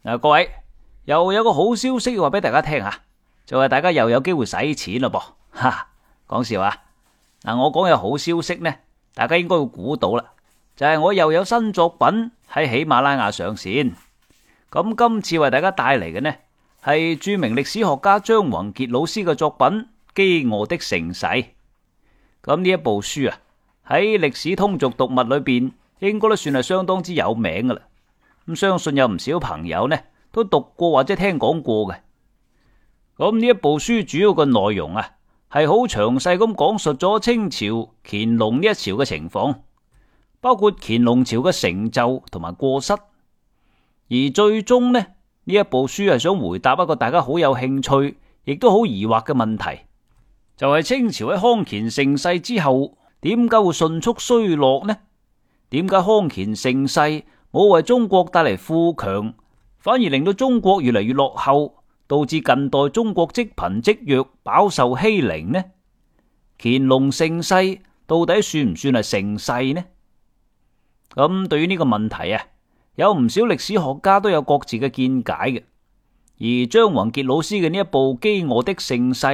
各位又有個好消息話俾大家聽啊，就係大家又有機會使錢咯噃，哈，講笑啊！我講有好消息呢，大家應該會估到啦，就係我又有新作品喺喜馬拉雅上線。咁今次為大家帶嚟嘅呢，係著名歷史學家張宏傑老師嘅作品《饑餓的盛世》。咁呢一部書啊，喺歷史通俗讀物裏邊，應該都算係相當之有名噶啦。咁相信有唔少朋友呢都讀過或者聽講過嘅。咁呢一部書主要嘅內容啊，係好詳細咁講述咗清朝乾隆呢一朝嘅情況，包括乾隆朝嘅成就同埋過失。而最終呢一部書係想回答一個大家好有興趣亦都好疑惑嘅問題，就係清朝喺康乾盛世之後點解會迅速衰落呢？點解康乾盛世冇為中國帶嚟富強，反而令到中國越嚟越落後，導致近代中國積貧積弱，飽受欺凌呢？乾隆盛世到底算唔算係盛世呢？咁對於呢個問題啊，有唔少歷史學家都有各自嘅見解嘅，而張宏傑老師嘅呢一部《饑餓的盛世》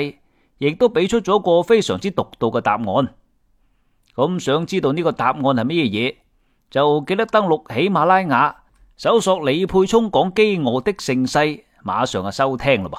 亦都俾出咗一個非常之獨到嘅答案。咁想知道呢個答案係乜嘢，就記得登錄喜馬拉雅，搜索李沛聰講饑餓的盛世，馬上就收聽啦噃。